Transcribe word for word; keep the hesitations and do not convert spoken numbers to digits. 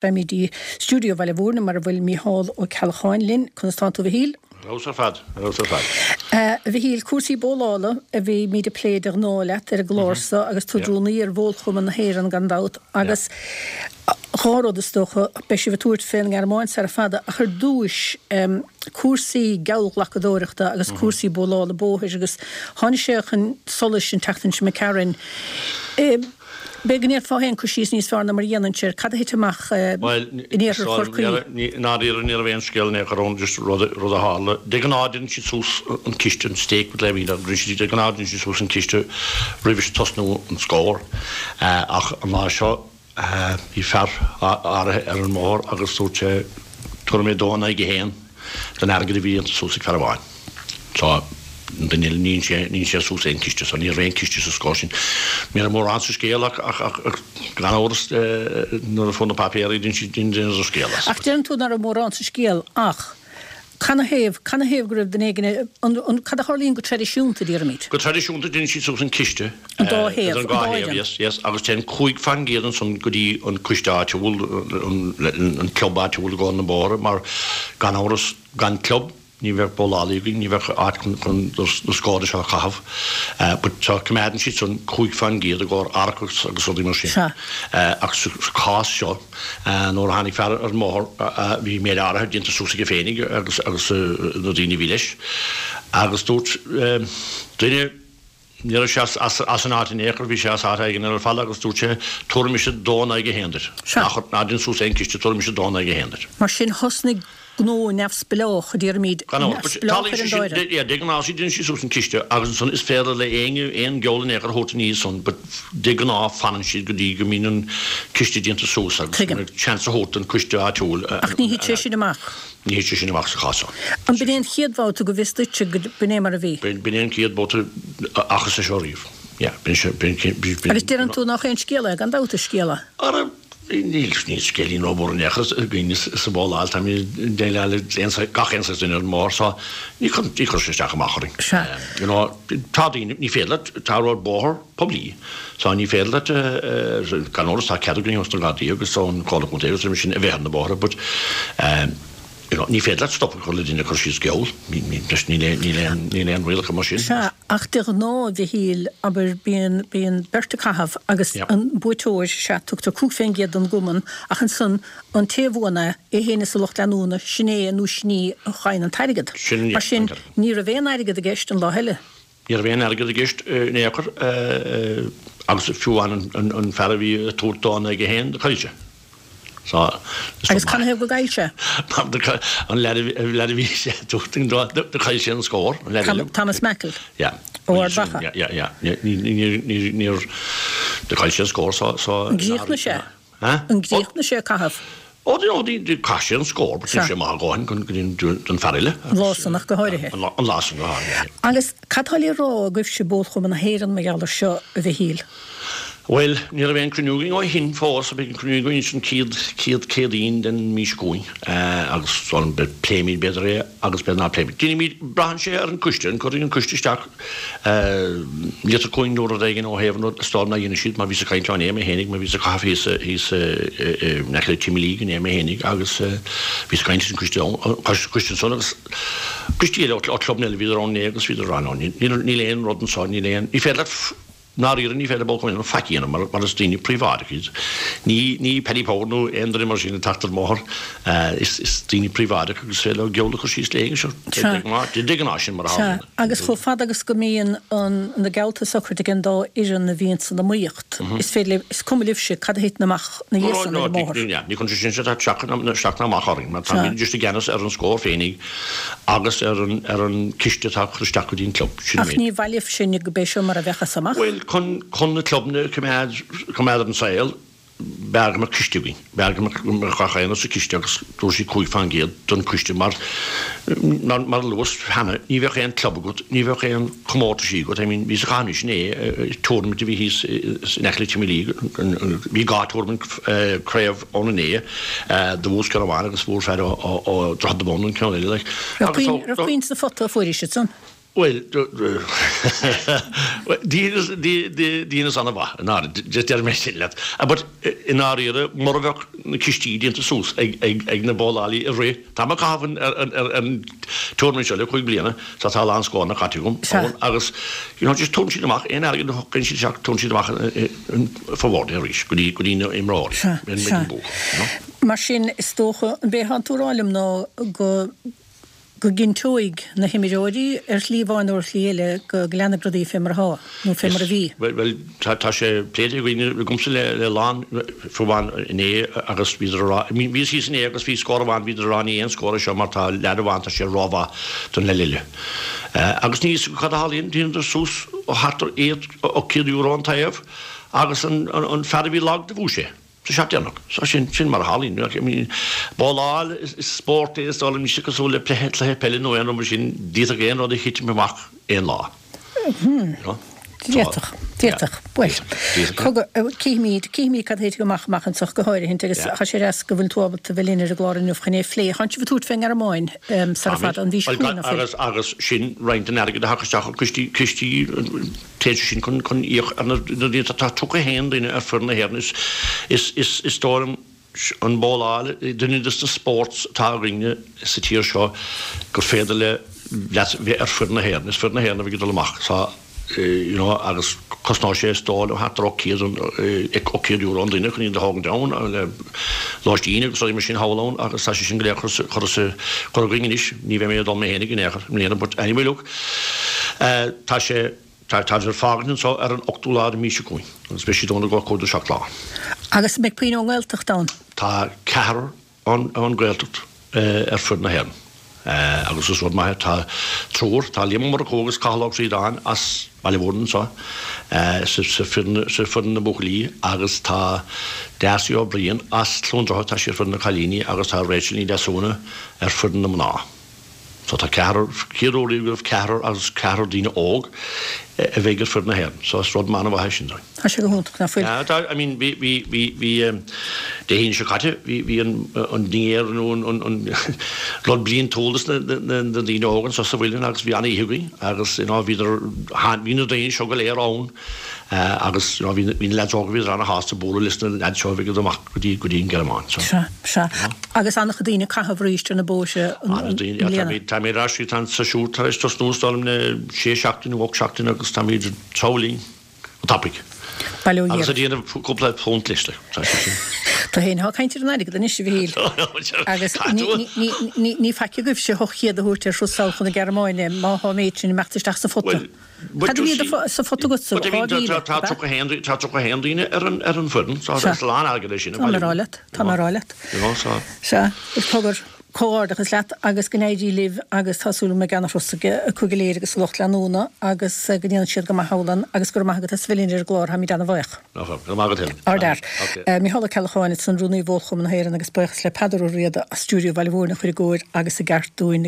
Beimid i stiúideo Bhaile Mhúirne mar a bhfuil Mícheál Ó Ceallacháin linn. Conas tánn tú, a Mhichíl? Ar fheabhas ar fad, ar fheabhas ar fad. A Mhichíl, cúrsaí bólála a bhímid ag plé de ghnáth leat ar an gclár so agus tú i d'rúnaí ar Bhólchumann na hÉireann gan dabht agus dhá rud is dócha, beidh sibh ag tabhairt fén nGearmáin sara fada ach ar dtúis cúrsaí geallghlacadóireachta agus cúrsaí bólála bóthair agus tháinig sé chun solais an tseachtain seo imigh tharainn. B'fhéidir go ndéanfá féin cur síos níos fearr ná mar a dhéanainnse air. Cad a thit amach in iarthar Chorcaí? Bhuel, i ndáiríre ní raibh aon scéal in aon chor ann, just rud a tharla. De ghnáth déanann siad suas an ciste, an stake with le de ghnáth déanann siad suas an ciste roimh tosnú an scór. Ach an lá seo bhí fear áirithe ar an mbóthar agus dúirt sé, tabharfaidh mé dó in aghaidh a haon den airgead a bhí déanta suas ag fear amháin. So, an duine eile, ní dhein sé suas aon chiste, so ní raibh aon chiste sa scór sin. Ní raibh mórán sa scéal ach, ach, ach, ach gan amhras nuair a fuair na páipéirí dhein siad, dheineadar scéal as. Ach deireann tú nach raibh mórán sa scéal ach canathaobh, canathaobh go raibh duine éigin, an, an, cad a tharlaíonn go traidisiúnta, déarfaimid? Go traidisiúnta deineann siad suas an ciste. An dá thaobh, an dá thaobh, yes, yes, agus téann cúig faoin gcéad ansan go dtí an coiste áitiúil, an, an club áitiúil i gcomhair na mbóithre mar gan amhras gan club, Ní bheadh bólálaí againn, ní bheadh áit chun na scórtha seo a chaitheamh. But so coimeádann siad san cúig faoin gcéad i gcomhair árachas agus rudaí mar sin. Ach sa chás seo, nuair a tháinig fear ar an mbóthar, bhí méid áirithe déanta suas aige féinig agus agus na daoine a bhí leis. Agus dúirt duine, Ní raibh sé as an áit in aon chor, bhí sé as áit éigin eile ar fad agus dúirt sé, Tabharfaidh mise dó in aghaidh a haon duit. Ná déan suas aon chiste, tabharfaidh mise dó in aghaidh a haon duit. Mar sin thosnaigh gnó neamhspleách, a déarfaimid, neamhspleách ar an dá fhoireann. Yeah, de ghnáth déanann siad suas an ciste agus ansan is féidir le éinne aon gheall in aon chor a thabhairt ina dhiaidh san but de ghnáth fanann siad go dtí go mbíonn an ciste déanta suas agus seans a thabhairt don choiste áitiúil. Ach ní thit sé sin amach. Ní thit sé sin amach sa chás seo. An b'in é an chéad bhabhta go bhfios duitse go b'in é mar a bhí? B'in é an chéad bhabhta a fhacthas é seo riamh. Yeah, b'in sé, b'in, b'in, b'in. Agus deireann tú nach aon scéal é, gan dabht is scéal é. Ara, níl, níl scéilín rómhór in aon chor againn sa bhóláil, táimid ag déileáil le aon saghas, gach aon saghas duine ar an mbóthar so ní chuireann, ní chuireann sé isteach amach orainn. Sea. You know, tá daoine, ní féidir leat, tá rud bóthar poiblí so ní féidir leat, gan amhras tá cead againn ós na Gardaí agus ón Chomhairle Contae agus sin a bheith ar na bóithre but you know ní féidir leat stop a chur le duine ag cur síos geall, níl aon rialacha mar sin. Sea, ach de ghnáth, a Mhichíl, abair, bíonn, bíonn beirt ag caitheamh agus an buaiteoir, sea, tugtar cúig fén gcéad don gcumann ach ansan an té a bhuann é, é féin is a lucht leanúna, sin é nó sin í a fhaigheann an t-airgead. Mar sin, ní raibh aon airgead i gceist an lá eile. Ní raibh aon airgead i gceist in aon chor agus fiú amháin an fear a bhí ag tabhairt dó in aghaidh a haon, do chaill sé. So, Agus canathaobh go gcaill sé? Mar an leaid a bhí sé ag tabhairt dó, do chaill sé an scór, an leaid eile. Thomas Mackle Yeah. ó Ard Mhacha. Yeah, yeah, yeah. Níor, do chaill sé an scór so, so. An gcríochnaigh sé? An gcríochnaigh sé ag caitheamh? Ó, chaith sé an scór, but bhí sé maith a dhóthain go dtí don fear eile. An lá san ach go háirithe. An lá san go háirithe. Agus cad tá le rá agaibhse, Bólchumann na hÉireann, mar gheall ar seo, a Mhichíl? Bhuel, ní raibh aon cruinniú againn ó shin fós, beidh an cruinniú againn an chéad, chéad Chéadaoin den mhí seo chugainn agus pléimid b'fhéidir é agus b'fhéidir ná pléimid. Déanfaimid, braitheann sé ar an gcoiste, an gcuirfidh an coiste isteach litir chugainn nó rud éigin ó thaobh an rud, is dóigh liom nár dhéanfaidh siad mar bhíos ag caint leo inné mé fhéinig, mar bhíos ag caitheamh thíos, thíos in aice le Timmy inné mé fhéinig agus bhíos ag caint leis an gcoiste ann, coiste ansan agus coistí eile ó chlubanna eile bhíodar ann inné agus bhíodar ag rá no níl, níl aon rud anso, níl aon, ní féidir leat I ndáiríre ní féidir le Bólchumann na hÉireann faic a dhéanamh mar mar is daoine príobháideacha iad. Ní ní Paddy Power nó aon duine mar sin ag teacht ar an mbóthar. Is is daoine príobháideacha agus is féidir leo geall a chur síos le éinne seo. Sea. De ghnáth de ghnáth sin mar a Sea. tharlaíonn. Agus chomh fada agus go mbíonn an na geallta socraithe ag an dá fhoireann a bhíonn san iomaíocht, is féidir libh, is cuma libhse cad a thiteann amach ina dhiaidh san ar an mbóthar. No, no, ní chuireann sé sin isteach isteach ná amach orainn mar Sea. táimid just i gceannas ar an scór féinig agus ar an ar an ciste atá curtha isteach go dtí an club. Sin an Ach méid. ní mhaith libhse go b'é seo mar a bheadh as amach. Bhuel, chun chun na clubanna a choimeád choimeád ar an saol, b'fhearr go mbeadh ciste againn. B'fhearr go mbeadh go mbeadh gach aon rud sa chiste agus dúirt sí cúig faoin gcéad don chiste mar mar mar a luas cheana, ní bheadh aon club agat, ní bheadh aon chomórtaisí agat. I mean, bhíos ag caitheamh anois inné, tournament a bhí thíos in aice le Timmy Lee, bhí dhá tournament craobh ann inné, do bhuas ceann amháin agus fuair fear ó ó Droichead na Bun an ceann eile like. Raibh puinn raibh puinn sa phota a fuairis ansan? Bhuel, dheineas an-mhaith, i ndáiríre, just déarfaidh mé sin leat. But i ndáiríre, mura bheadh na cistí déanta suas ag na bowlálaí i rith, tá mé ag caitheamh ar an tournament seo le cúig bliana, so tá a lán scóranna caite agam ann agus you know just tugann siad amach aon airgead a thugann siad isteach, tugann siad amach fá bhord é arís go dtí go dtí na imreoirí. Sea, sea. Mar sin, is dócha, an b'é atánn tú a rá liom ná go go gcinnteoidh na himreoirí ar shlí amháin nó ar shlí eile go leanfaidh rudaí fé mar atá, nó fé mar a bhí. Bhuel, tá sé pléite againn, agamsa le le lán fiú amháin inné agus bhíodar a rá, bhíos thíos inné agus bhí scór amháin, bhíodar a rá ní aon scór é seo mar tá leaid amháin, tá sé rómhaith don leaid eile. Agus níl a fhios acu cad a tharlaíonn, dheineadar suas thart ar ocht céad euro an taobh agus an fear a bhí lag do bhuaigh sé. Sa seat deireanach. So sin, sin mar a tharlaíonn. I mean, bowláil, is, is spórt é, is dóigh liom, níl sé cosúil le cluiche, cluiche peile nó aon rud mar sin, d'fhéadfadh aon rud a thitim amach aon lá. Hmm. You know? D'fhéadfadh, d'fhéadfadh. Bhuel, cogar, cífimid, cífimid cad a thitfidh amach amach anseo go háirithint agus Yeah. tá sé deas go bhfuil tú ábalta bheith linn ar an gclár inniu chun é a phlé. Tánn sibh ag tabhairt fén nGearmáin sara fada, an mhí seo chugainn, nach bhfuil? Agus, agus sin roinnt den airgead a thagas isteach ó chistí, cistí, Téann sé sin chun chun íoc ar na daoine tá tríocha a haon duine ar foireann na hÉireann is is is is dóigh liom an bowláil duine de na sports atá againne sa tír seo gur féidir le leat bheith ar foireann na hÉireann. Is foireann na hÉireann a bheidh ag dul amach so you know agus cosnóidh sé is dóigh liom thart ar ocht céad ocht céad euro an duine chun iad a thógaint ann le lóistín agus rudaí mar sin thall ann agus tá sé sin go léir curtha curtha curtha againn anois. Ní bheidh mé ag dul mé fhéinig in aon chor i mbliana but anyway look tá sé Tá táid ag fágaint anseo ar an ochtú lá den mhí seo chugainn agus beidh siad ann i gcomhair cúig nó seacht lá. Agus an mbeidh puinn ón nGaeltacht ann? Tá ceathrar ón Ghaeltacht ar foireann na hÉireann agus is rud maith é. Tá triúr, tá Liam Ó Murchú agus Cathal Ó Críodáin as Baile Mhúirne anseo sa foireann na mbuachaillí agus tá Darcy Ó Briain as Cluain Droichead, tá sí ar foireann na cailíní agus tá Rachel Ní Deasúna ar foireann na mná. So tá ceathrar, chéad uair riamh go raibh ceathrar agus ceathrar daoine óg a bheidh ar foireann na hÉireann. So is rud an-mhaith é sin dúinn. Tá sé go hiontach, nach bhfuil? Yeah, tá, I mean bhí, bhí, bhí, bhí Dé hAoine seo caite bhí, bhí an, an dinnéar nó an, an, an rud bliantúil dos na, na, na daoine óga anseo sa Mhuileann agus bhí an-oíche againn agus you know bhíodar, bhí na daoine seo go léir ann agus you know bhí, bhí na leaids óga bhíodar an-shásta bualadh leis na leaids seo a bhí ag dul amach go dtí, go dtí an Ghearmáin. So. Sea, sea. Agus an-chuid daoine ag caitheamh arís ar na bóithre i mbliana. Táimid ar ais, tá an séasúr tar éis tosnú is dóigh liom le sé seachtain nó ocht seachtain agus táimid ag treabhadh linn go tapaidh. Bail ó Dhia Agus ort. ag déanamh cúpla punt leis, tá sé sin. Tú fhéin atá ag caint ar an airgead anois, a Mhichíl. Agus ní faic agaibhse ocht chéad a thabhairt ar thuras sall chun na Gearmáine má tá an méid sin ag imeacht isteach sa phota. Well, Cad a bhí sa phota agatsa? But I mean, Dhá mhíle, tá ab ea? tríocha a haon tá tríocha a haon daoine ar an ar an bhfoireann, so Sea. is a lán airgead é sin a Tá mé bhailiú. a rá leat, tá mé a rá leat. You know, so. Sea, is cogar, comhghairdeachas leat agus go n-éirí libh agus tá súil agam go mbeidh ana-thuras acu go léir agus a lucht leanúna agus go ndéanfaidh siad go maith thall ann agus go raibh maith agat as a bheith linn ar an gclár, táimid ana-bhuíoch. No problem. Go raibh maith agat féin. Ardfhear. Okay. Micheál Ó Ceallacháin ansan Rúnaí Bhólchumann na hÉireann agus buíochas le Peadar Ó Riada as stiúideo Bhaile Mhúirne a chuir i gcóir agus i gceart dúinn.